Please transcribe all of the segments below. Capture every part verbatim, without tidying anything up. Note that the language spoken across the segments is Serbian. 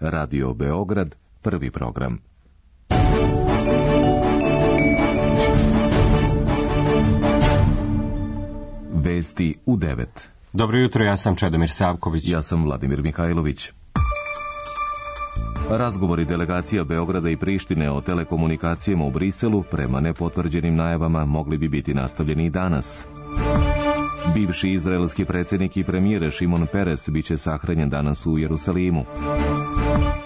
Radio Beograd, prvi program. Vesti u devet. Dobro jutro, ja sam Čedomir Savković. Ja sam Vladimir Mihajlović. Razgovori delegacija Beograda i Prištine o telekomunikacijama u Briselu, prema nepotvrđenim najavama, mogli bi biti nastavljeni i danas. Bivši izraelski predsjednik i premijer Šimon Peres biće sahranjen danas u Jerusalimu.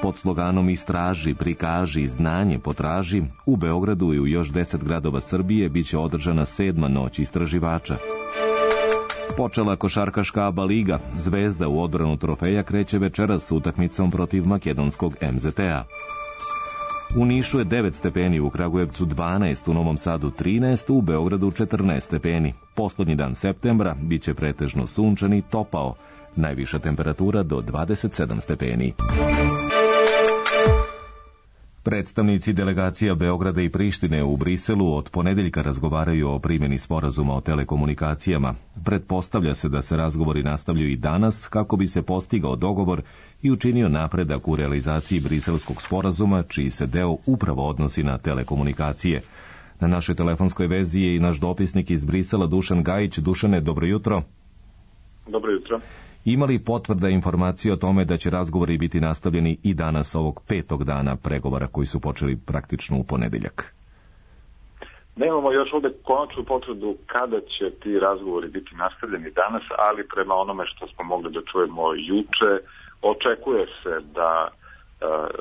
Pod sloganom Istraži, prikaži, znanje potraži, u Beogradu i u još deset gradova Srbije biće održana sedma noć istraživača. Počela košarkaška ABA liga. Zvezda u odbranu trofeja kreće večeras s utakmicom protiv makedonskog em zet a. U Nišu je devet stepeni, u Kragujevcu dvanaest, u Novom Sadu trinaest, u Beogradu četrnaest stepeni. Poslednji dan septembra biće pretežno sunčan i topao. Najviša temperatura do dvadeset sedam stepeni. Predstavnici delegacija Beograda i Prištine u Briselu od ponedeljka razgovaraju o primjeni sporazuma o telekomunikacijama. Pretpostavlja se da se razgovori nastavljaju i danas kako bi se postigao dogovor i učinio napredak u realizaciji briselskog sporazuma, čiji se deo upravo odnosi na telekomunikacije. Na našoj telefonskoj vezi je i naš dopisnik iz Brisela Dušan Gajić. Dušane, dobro jutro. Dobro jutro. Ima li potvrda informacije o tome da će razgovori biti nastavljeni i danas ovog petog dana pregovora koji su počeli praktično u ponedeljak? Nemamo još ovdje konačnu potvrdu kada će ti razgovori biti nastavljeni danas, ali prema onome što smo mogli da čujemo juče, očekuje se da e,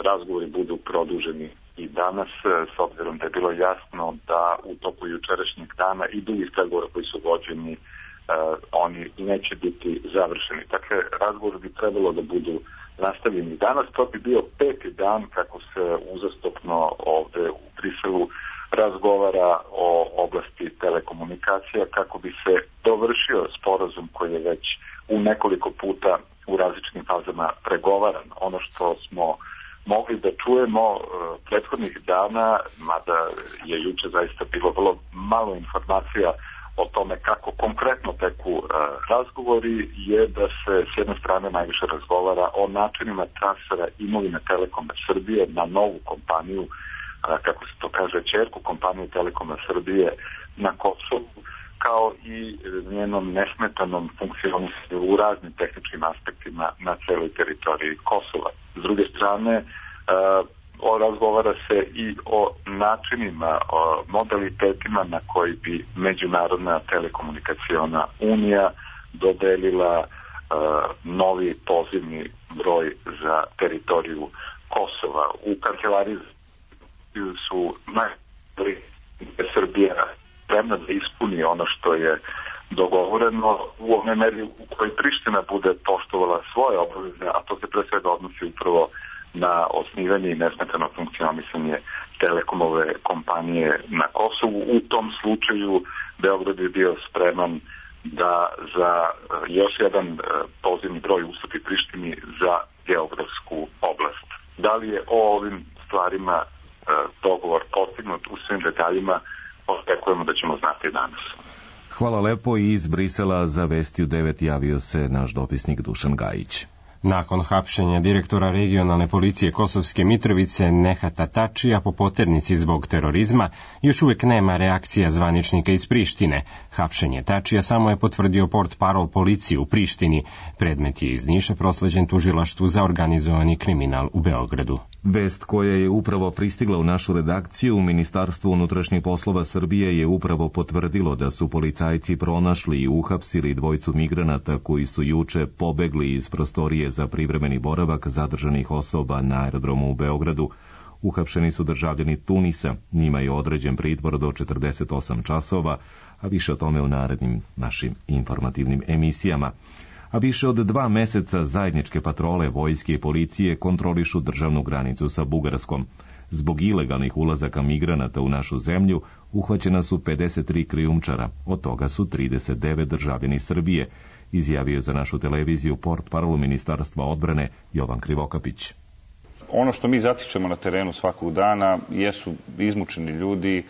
razgovori budu produženi i danas, s obzirom da je bilo jasno da u toku jučerašnjeg dana i drugih pregovora koji su vođeni Uh, oni neće biti završeni. Dakle, razgovor bi trebalo da budu nastavljeni danas. To bi bio peti dan kako se uzastopno ovde u Briselu razgovara o oblasti telekomunikacija, kako bi se dovršio sporazum koji je već u nekoliko puta u različitim fazama pregovaran. Ono što smo mogli da čujemo uh, prethodnih dana, mada je juče zaista bilo vrlo malo informacija o tome kako konkretno teku uh, razgovori, je da se s jedne strane najviše razgovara o načinima transfera imovine Telekoma Srbije na novu kompaniju, uh, kako se to kaže, ćerku kompaniju Telekoma Srbije na Kosovu, kao i njenom nesmetanom funkcionisanju u raznim tehničkim aspektima na celoj teritoriji Kosova. S druge strane, uh, O, razgovara se i o načinima, o modalitetima na koji bi Međunarodna telekomunikaciona unija dodelila uh, novi pozivni broj za teritoriju Kosova. U kancelariji su najbolji Srbija spremna da ispuni ono što je dogovoreno u ovoj meri u kojoj Priština bude poštovala svoje obaveze, a to se pre svega odnosi upravo na osnivanje i nesmetano funkcionisanje Telekomove kompanije na Kosovu. U tom slučaju Beograd je bio spreman da za još jedan pozivni broj ustupi Prištini za geografsku oblast. Da li je o ovim stvarima dogovor postignut u svim detaljima, očekujemo da ćemo znati danas. Hvala lepo. I iz Brisela za Vesti u devet javio se naš dopisnik Dušan Gajić. Nakon hapšenja direktora regionalne policije Kosovske Mitrovice Nehata Tačija po poternici zbog terorizma, još uvijek nema reakcija zvaničnika iz Prištine. Hapšenje Tačija samo je potvrdio portparol policije u Prištini. Predmet je iz Niša prosleđen tužilaštvu za organizovani kriminal u Beogradu. Vest koja je upravo pristigla u našu redakciju, Ministarstvo unutrašnjih poslova Srbije je upravo potvrdilo da su policajci pronašli i uhapsili dvojicu migranata koji su juče pobegli iz prostorije za privremeni boravak zadržanih osoba na aerodromu u Beogradu. Uhapšeni su državljani Tunisa, njima je određen pritvor do četrdeset osam časova, a više o tome u narednim našim informativnim emisijama. A više od dva meseca zajedničke patrole vojske i policije kontrolišu državnu granicu sa Bugarskom. Zbog ilegalnih ulazaka migranata u našu zemlju uhvaćena su pedeset tri krijumčara, od toga su trideset devet državljani Srbije, izjavio za našu televiziju portparol Ministarstva odbrane Jovan Krivokapić. Ono što mi zatičemo na terenu svakog dana jesu izmučeni ljudi,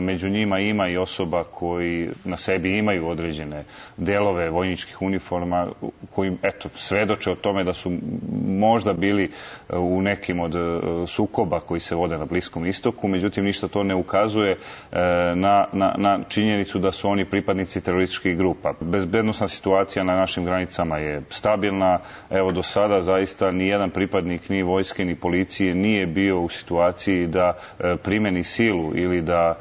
među njima ima i osoba koji na sebi imaju određene delove vojničkih uniforma koji, eto, svedoče o tome da su možda bili u nekim od sukoba koji se vode na Bliskom istoku, međutim ništa to ne ukazuje na, na, na činjenicu da su oni pripadnici terorističkih grupa. Bezbednosna situacija na našim granicama je stabilna. Evo, do sada zaista ni jedan pripadnik ni vojske ni policije nije bio u situaciji da primeni silu ili da,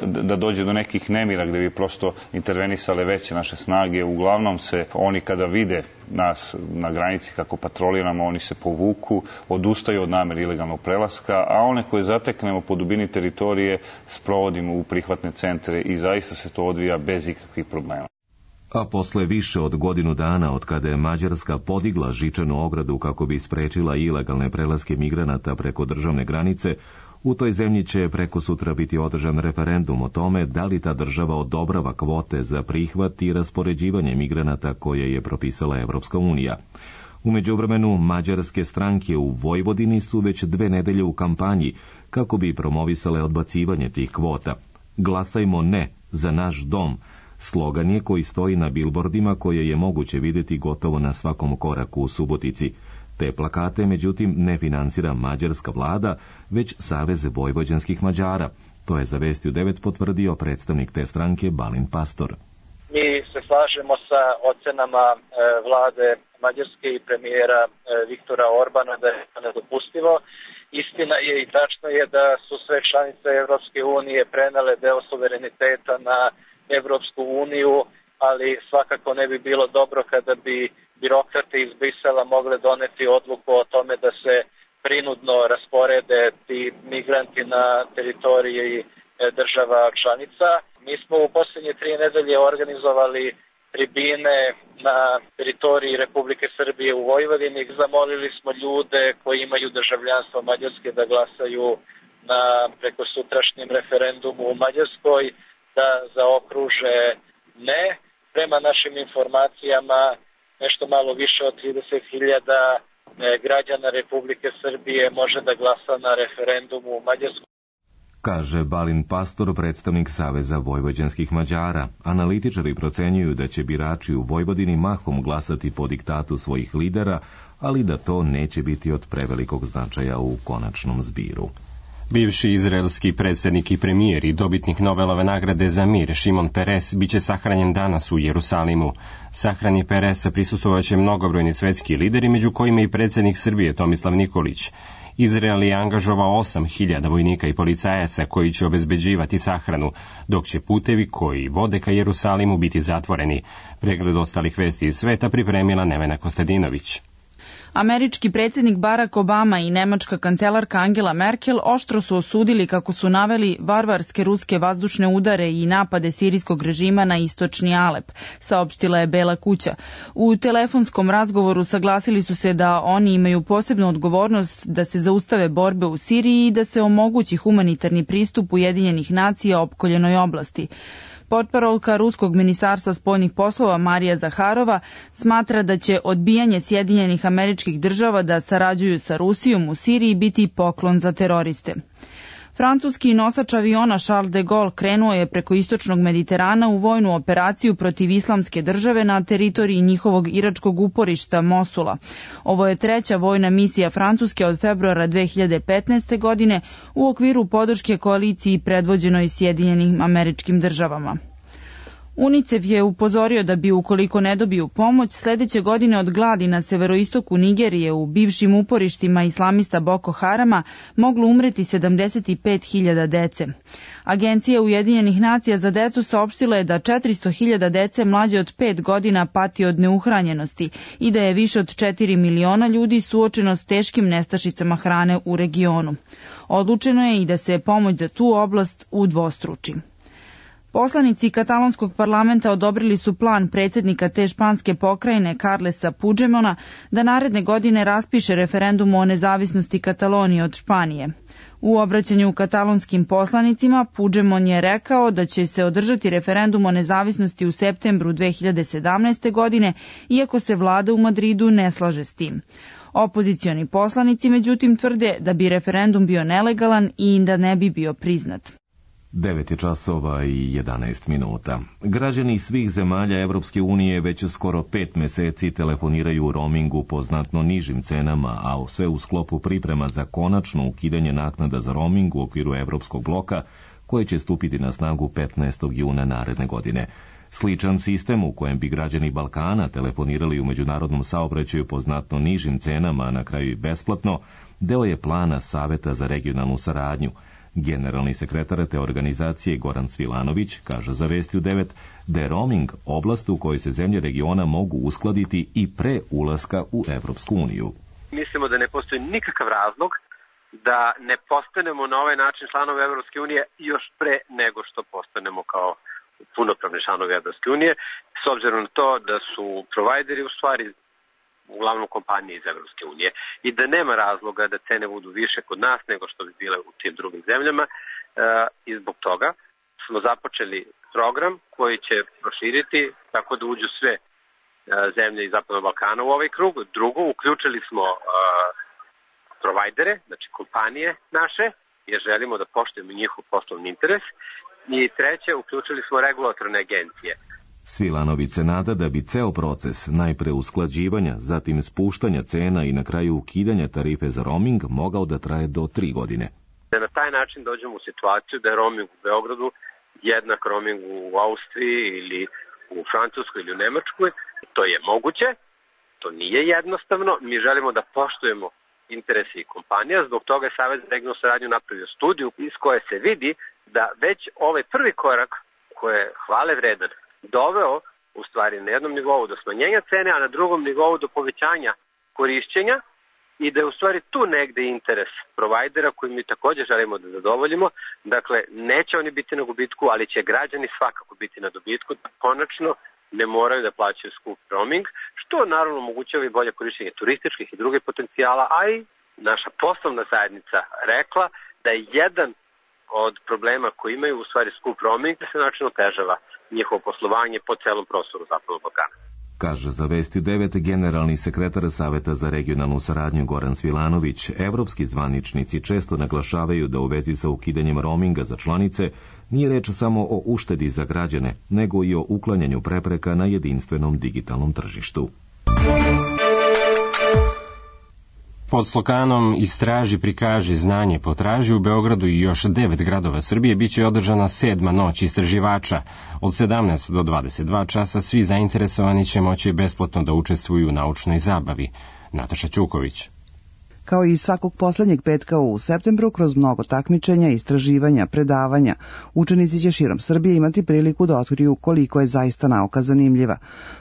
da dođe do nekih nemira gde bi prosto intervenisale veće naše snage. Uglavnom se oni kada vide nas na granici kako patroliramo, oni se povuku, odustaju od namere ilegalnog prelaska, a one koje zateknemo po dubini teritorije sprovodimo u prihvatne centre i zaista se to odvija bez ikakvih problema. A posle više od godinu dana od kada je Mađarska podigla žičanu ogradu kako bi sprečila ilegalne prelaske migranata preko državne granice, u toj zemlji će preko sutra biti održan referendum o tome da li ta država odobrava kvote za prihvat i raspoređivanje migranata koje je propisala Evropska unija. U međuvremenu, mađarske stranke u Vojvodini su već dve nedelje u kampanji kako bi promovisale odbacivanje tih kvota. Glasajmo ne za naš dom, slogan je koji stoji na bilbordima koje je moguće vidjeti gotovo na svakom koraku u Subotici. Te plakate, međutim, ne finansira mađarska vlada, već Savez vojvođanskih Mađara. To je za Vesti u devet potvrdio predstavnik te stranke Balint Pastor. Mi se slažemo sa ocenama e, vlade Mađarske i premijera e, Viktora Orbana da je nedopustivo. Istina je i tačno je da su sve članice Evropske unije prenele deo suvereniteta na Evropsku uniju, ali svakako ne bi bilo dobro kada bi birokrate iz Brisela mogle doneti odluku o tome da se prinudno rasporede ti migranti na teritoriji država članica. Mi smo u posljednje tri nedelje organizovali tribine na teritoriji Republike Srbije u Vojvodini. Zamolili smo ljude koji imaju državljanstvo Mađarske da glasaju na prekosutrašnjem referendumu u Mađarskoj, da zaokruže ne. Prema našim informacijama, nešto malo više od trideset hiljada građana Republike Srbije može da glasa na referendumu u Mađarskoj. Kaže Balint Pastor, predstavnik Saveza vojvođanskih Mađara. Analitičari procenjuju da će birači u Vojvodini mahom glasati po diktatu svojih lidera, ali da to neće biti od prevelikog značaja u konačnom zbiru. Bivši izraelski predsjednik i premijer i dobitnik Nobelove nagrade za mir Šimon Peres biće sahranjen danas u Jerusalimu. Sahrani Peresa prisustvovaće mnogobrojni svetski lideri, među kojima i predsjednik Srbije Tomislav Nikolić. Izrael je angažovao osam hiljada vojnika i policajaca koji će obezbeđivati sahranu, dok će putevi koji vode ka Jerusalimu biti zatvoreni. Pregled ostalih vesti iz sveta pripremila Nevena Kostadinović. Američki predsjednik Barack Obama i nemačka kancelarka Angela Merkel oštro su osudili, kako su naveli, varvarske ruske vazdušne udare i napade sirijskog režima na istočni Alep, saopštila je Bela kuća. U telefonskom razgovoru saglasili su se da oni imaju posebnu odgovornost da se zaustave borbe u Siriji i da se omogući humanitarni pristup Ujedinjenih nacija opkoljenoj oblasti. Portparolka Ruskog ministarstva spoljnih poslova Marija Zaharova smatra da će odbijanje Sjedinjenih Američkih Država da sarađuju sa Rusijom u Siriji biti poklon za teroriste. Francuski nosač aviona Charles de Gaulle krenuo je preko istočnog Mediterana u vojnu operaciju protiv Islamske države na teritoriji njihovog iračkog uporišta Mosula. Ovo je treća vojna misija Francuske od februara dve hiljade petnaeste. godine u okviru podrške koaliciji predvođenoj Sjedinjenim Američkim Državama. UNICEF je upozorio da bi, ukoliko ne dobiju pomoć, sljedeće godine od gladi na severoistoku Nigerije u bivšim uporištima islamista Boko Harama moglo umreti sedamdeset pet hiljada dece. Agencija Ujedinjenih nacija za decu saopštila je da četiristo hiljada dece mlađe od pet godina pati od neuhranjenosti i da je više od četiri miliona ljudi suočeno s teškim nestašicama hrane u regionu. Odlučeno je i da se pomoć za tu oblast udvostruči. Poslanici katalonskog parlamenta odobrili su plan predsjednika te španske pokrajine Carlesa Puigdemona da naredne godine raspiše referendum o nezavisnosti Katalonije od Španije. U obraćanju katalonskim poslanicima Puigdemont je rekao da će se održati referendum o nezavisnosti u septembru dve hiljade sedamnaeste. godine, iako se vlada u Madridu ne slaže s tim. Opozicioni poslanici međutim tvrde da bi referendum bio nelegalan i da ne bi bio priznat. devet je časova i jedanaest minuta. Građani svih zemalja Evropske unije već skoro pet meseci telefoniraju u roamingu po znatno nižim cenama, a sve u sklopu priprema za konačno ukidanje naknada za roaming u okviru Evropskog bloka, koje će stupiti na snagu petnaestog juna naredne godine. Sličan sistem u kojem bi građani Balkana telefonirali u međunarodnom saobraćaju po znatno nižim cenama, a na kraju i besplatno, deo je plana Saveta za regionalnu saradnju. Generalni sekretar te organizacije Goran Svilanović kaže za Vesti u devet da je roaming oblast u kojoj se zemlje regiona mogu uskladiti i pre ulaska u Evropsku uniju. Mislimo da ne postoji nikakav razlog da ne postanemo na ovaj način članovi Evropske unije još pre nego što postanemo kao punopravni članovi Evropske unije, s obzirom na to da su provajderi u stvari uglavnom kompanije iz Evropske unije i da nema razloga da cene budu više kod nas nego što bi bile u tim drugim zemljama, e, i zbog toga smo započeli program koji će proširiti tako da uđu sve e, zemlje iz Zapadnog Balkana u ovaj krug. Drugo, uključili smo e, provajdere, znači kompanije naše, jer želimo da poštujemo njihov poslovni interes. I treće, uključili smo regulatorne agencije. Svilanović se nada da bi ceo proces, najpre usklađivanja, zatim spuštanja cena i na kraju ukidanja tarife za roaming, mogao da traje do tri godine. Da na taj način dođemo u situaciju da je roaming u Beogradu jednak roaming u Austriji ili u Francuskoj ili u Nemačkoj. To je moguće, to nije jednostavno. Mi želimo da poštujemo interese i kompanija, zbog toga je Savet za regionalnu saradnju napravio studiju iz koje se vidi da već ovaj prvi korak, koji je hvale vredan, doveo u stvari na jednom nivou do smanjenja cene, a na drugom nivou do povećanja korišćenja i da je u stvari tu negde interes provajdera koji mi također želimo da zadovoljimo. Dakle, neće oni biti na gubitku, ali će građani svakako biti na dobitku, da konačno ne moraju da plaćaju skup roaming, što naravno omogućava i bolje korišćenje turističkih i drugih potencijala, a i naša poslovna zajednica rekla da je jedan od problema koji imaju u stvari skup roaming da se način otežava njihovo poslovanje po celom prostoru Zapadnog Balkana. Kaže za Vesti devet generalni sekretar Saveta za regionalnu saradnju Goran Svilanović. Evropski zvaničnici često naglašavaju da u vezi sa ukidanjem roaminga za članice nije reč samo o uštedi za građane, nego i o uklanjanju prepreka na jedinstvenom digitalnom tržištu. Pod sloganom Istraži, prikaži, znanje, potraži u Beogradu i još devet gradova Srbije biće održana sedma noć istraživača. Od sedamnaest do dvadeset dva časa svi zainteresovani će moći besplatno da učestvuju u naučnoj zabavi. Nataša Ćuković. Kao i svakog poslednjeg petka u septembru, kroz mnogo takmičenja, istraživanja, predavanja, učenici će širom Srbije imati priliku da otkriju koliko je zaista nauka zanimljiva.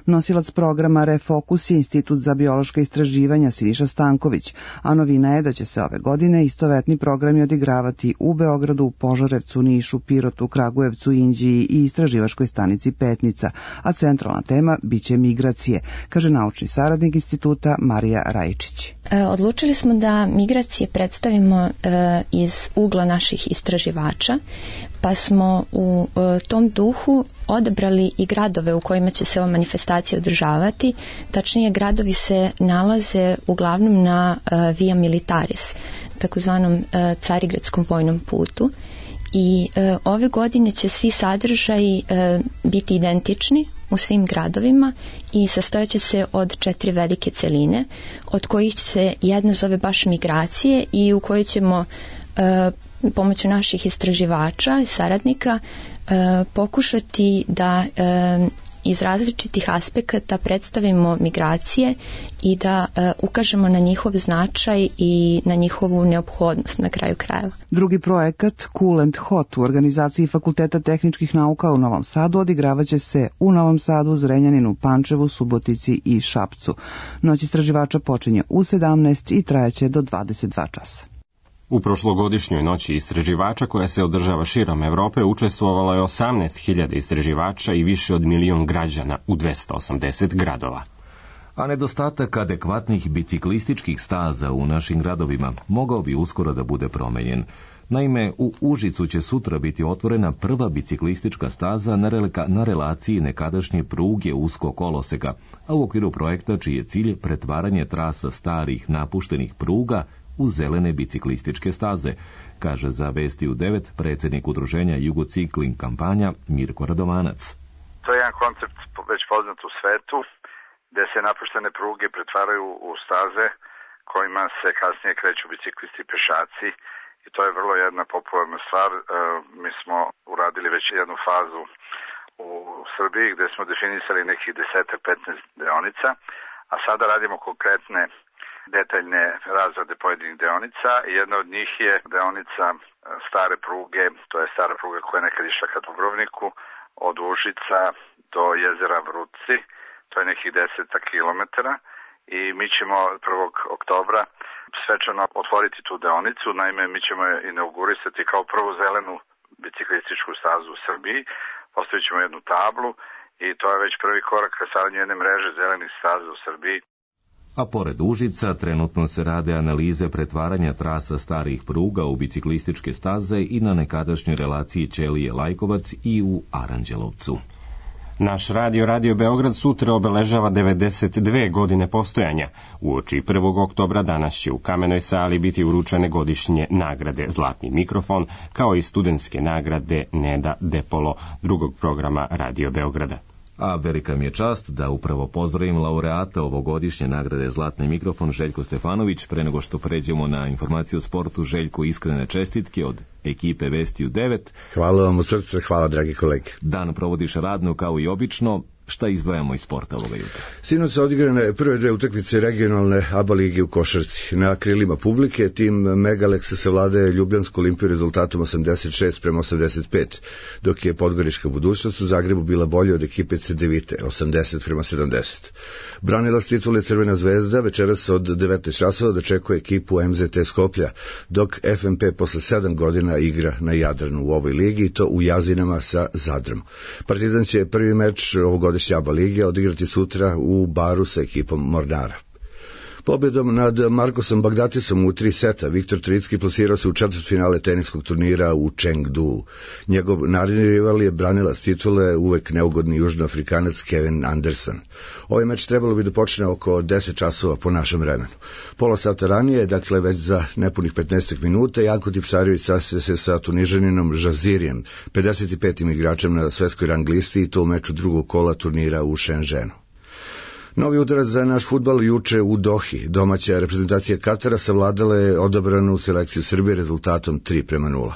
Nosilac programa Refokus je Institut za biološka istraživanja Siniša Stanković, a novina je da će se ove godine istovetni programi odigravati u Beogradu, Požarevcu, Nišu, Pirotu, Kragujevcu, Inđiji i istraživačkoj stanici Petnica, a centralna tema biće migracije, kaže naučni saradnik instituta Marija Rajčić. Odlučili smo da migracije predstavimo e, iz ugla naših istraživača, pa smo u e, tom duhu odabrali i gradove u kojima će se ova manifestacija održavati. Tačnije, gradovi se nalaze uglavnom na e, Via Militaris, takozvanom e, Carigradskom vojnom putu. I e, ove godine će svi sadržaji e, biti identični u svim gradovima i sastojaće se od četiri velike celine, od kojih se jedna zove baš migracije i u kojoj ćemo e, pomoću naših istraživača i saradnika e, pokušati da e, iz različitih aspekata predstavimo migracije i da e, ukažemo na njihov značaj i na njihovu neophodnost na kraju krajeva. Drugi projekat Cool and Hot u organizaciji Fakulteta tehničkih nauka u Novom Sadu odigravaće se u Novom Sadu, Zrenjaninu, Pančevu, Subotici i Šapcu. Noć istraživača počinje u sedamnaest i trajaće do dvadeset dva časa. U prošlogodišnjoj noći istraživača koja se održava širom Evrope učestvovalo je osamnaest hiljada istraživača i više od milion građana u dvesta osamdeset gradova. A nedostatak adekvatnih biciklističkih staza u našim gradovima mogao bi uskoro da bude promenjen. Naime, u Užicu će sutra biti otvorena prva biciklistička staza na, relika, na relaciji nekadašnje pruge uskog koloseka, a u okviru projekta čiji je cilj pretvaranje trasa starih napuštenih pruga u zelene biciklističke staze, kaže za Vesti u devet predsjednik udruženja Jugocikling kampanja Mirko Radovanac. To je jedan koncept već poznat u svetu, gde se napuštene pruge pretvaraju u staze kojima se kasnije kreću biciklisti i pešaci. I to je vrlo jedna popularna stvar. E, mi smo uradili već jednu fazu u Srbiji gde smo definisali nekih deset do petnaest deonica, a sada radimo konkretne detaljne razrade pojedinih deonica. Jedna od njih je deonica stare pruge, to je stara pruga koja je nekad išla ka Dubrovniku, od Užica do jezera Vrutci, to je nekih deset kilometara. I mi ćemo prvog oktobra svečano otvoriti tu deonicu. Naime, mi ćemo je inaugurisati kao prvu zelenu biciklističku stazu u Srbiji. Postavit ćemo jednu tablu i to je već prvi korak ka stvaranju jedne mreže zelenih staza u Srbiji. A pored Užica trenutno se rade analize pretvaranja trasa starih pruga u biciklističke staze i na nekadašnjoj relaciji Ćelije-Lajkovac i u Aranđelovcu. Naš radio Radio Beograd sutra obeležava devedeset dve godine postojanja. Uoči prvog oktobra danas će u Kamenoj sali biti uručene godišnje nagrade Zlatni mikrofon, kao i studentske nagrade Neda Depolo drugog programa Radio Beograda. A velika mi je čast da upravo pozdravim laureata ovogodišnje nagrade Zlatni mikrofon Željko Stefanović. Pre nego što pređemo na informaciju o sportu, Željko, iskrene čestitke od ekipe Vesti u devet. Hvala vam od srca, hvala dragi kolege. Dan provodiš radno kao i obično. Šta izdvajamo iz sporta ovoga jutra? Sinoć su odigrane prve dve utakmice regionalne A B A lige u košarci. Na krilima publike tim Megalexa savladaje Ljubljansku Olimpiju rezultatom osamdeset šest prema osamdeset pet, dok je Podgorička budućnost u Zagrebu bila bolja od ekipe Cedevite, osamdeset prema sedamdeset. Branilac titule Crvena zvezda večeras od devetnaest časova dočekuje ekipu M Z T Skoplja, dok F M P posle sedam godina igra na Jadranu u ovoj ligi, i to u Jazinama sa Zadrom. Partizan će prvi meč ovogodišnje A B A lige odigrati sutra u Baru sa ekipom Mornara. Pobjedom nad Markosom Bagdatisom u tri seta Viktor Tricki plasirao se u četvrtfinale teniskog turnira u Chengdu. Njegov naredni rival je branilac titule, uvek neugodni južnoafrikanac Kevin Anderson. Ovaj meč trebalo bi da počne oko deset časova po našem vremenu. Pola sata ranije, dakle već za nepunih petnaest minuta, Janko Tipsarević sastaje se sa Tunižaninom Žazirijem, pedeset petim igračem na svetskoj rang listi, i to u meču drugog kola turnira u Shenzhenu. Novi udarac za naš fudbal juče u Dohi. Domaća reprezentacija Katara savladala je odabranu selekciju Srbije rezultatom tri prema nula.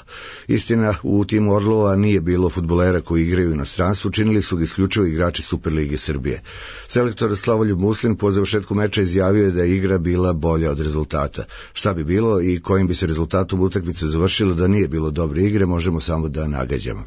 Istina, u timu Orlova nije bilo fudbalera koji igraju u inostranstvu, činili su ga isključivo igrači Superlige Srbije. Selektor Slavoljub Muslin po završetku meča izjavio je da je igra bila bolja od rezultata. Šta bi bilo i kojim bi se rezultatom utakmice završilo da nije bilo dobre igre, možemo samo da nagađamo.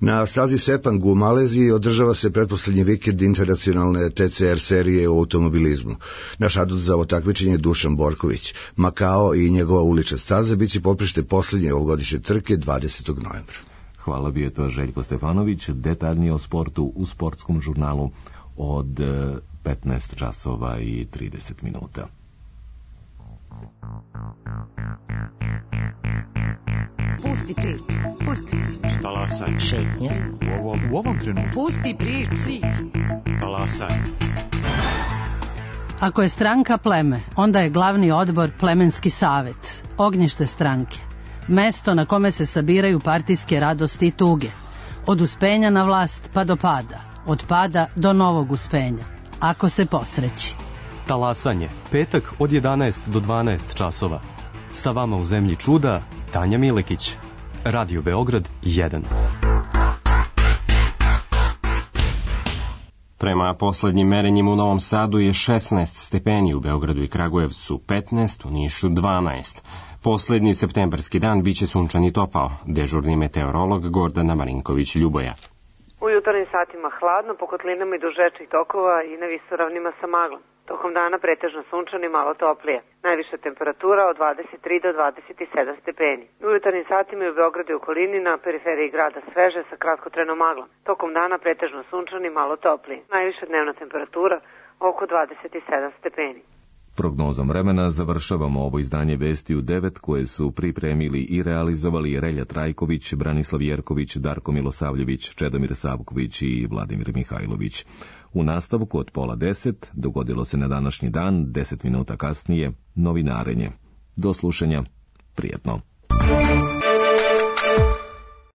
Na stazi Sepang u Maleziji održava se pretposlednji vikend internacionalne T C R serije u automobilizmu. Naš adut za ovo takmičenje je Dušan Borković. Makao i njegova ulična staza biće poprište poslednje ovogodišnje trke dvadesetog novembra. Hvala, bio je to Željko Stefanović. Detaljnije o sportu u sportskom žurnalu od petnaest časova i trideset minuta. Pusti priču, pusti priču. Talasaj. Šetnja. U ovom, u ovom trenutku. Pusti priču. Talasaj. Ako je stranka pleme, onda je glavni odbor plemenski savet, ognjište stranke, mesto na kome se sabiraju partijske radosti i tuge, od uspenja na vlast pa do pada, od pada do novog uspenja, ako se posreći. Talasanje, petak od jedanaest do dvanaest časova. Sa vama u zemlji čuda, Tanja Milekić. Radio Beograd jedan. Prema poslednjim merenjima u Novom Sadu je šesnaest stepeni, u Beogradu i Kragujevcu petnaest, u Nišu dvanaest. Poslednji septembarski dan biće sunčan i topao. Dežurni meteorolog Gordana Marinković-Ljuboja. U jutarnjim satima hladno, po kotlinama i duž rečnih tokova i na visoravnima sa maglom. Tokom dana pretežno sunčan i malo toplije. Najviša temperatura od dvadeset tri do dvadeset sedam stepeni. U jutarnjim satima i u Beogradu i okolini na periferiji grada sveže sa kratkotrenom maglom. Tokom dana pretežno sunčan i malo toplije. Najviša dnevna temperatura oko dvadeset sedam stepeni. Prognozom vremena završavamo ovo izdanje vesti u devet koje su pripremili i realizovali Relja Trajković, Branislav Jerković, Darko Milosavljević, Čedomir Savković i Vladimir Mihajlović. U nastavku od pola deset dogodilo se na današnji dan, deset minuta kasnije, novinarenje. Do slušanja, prijetno.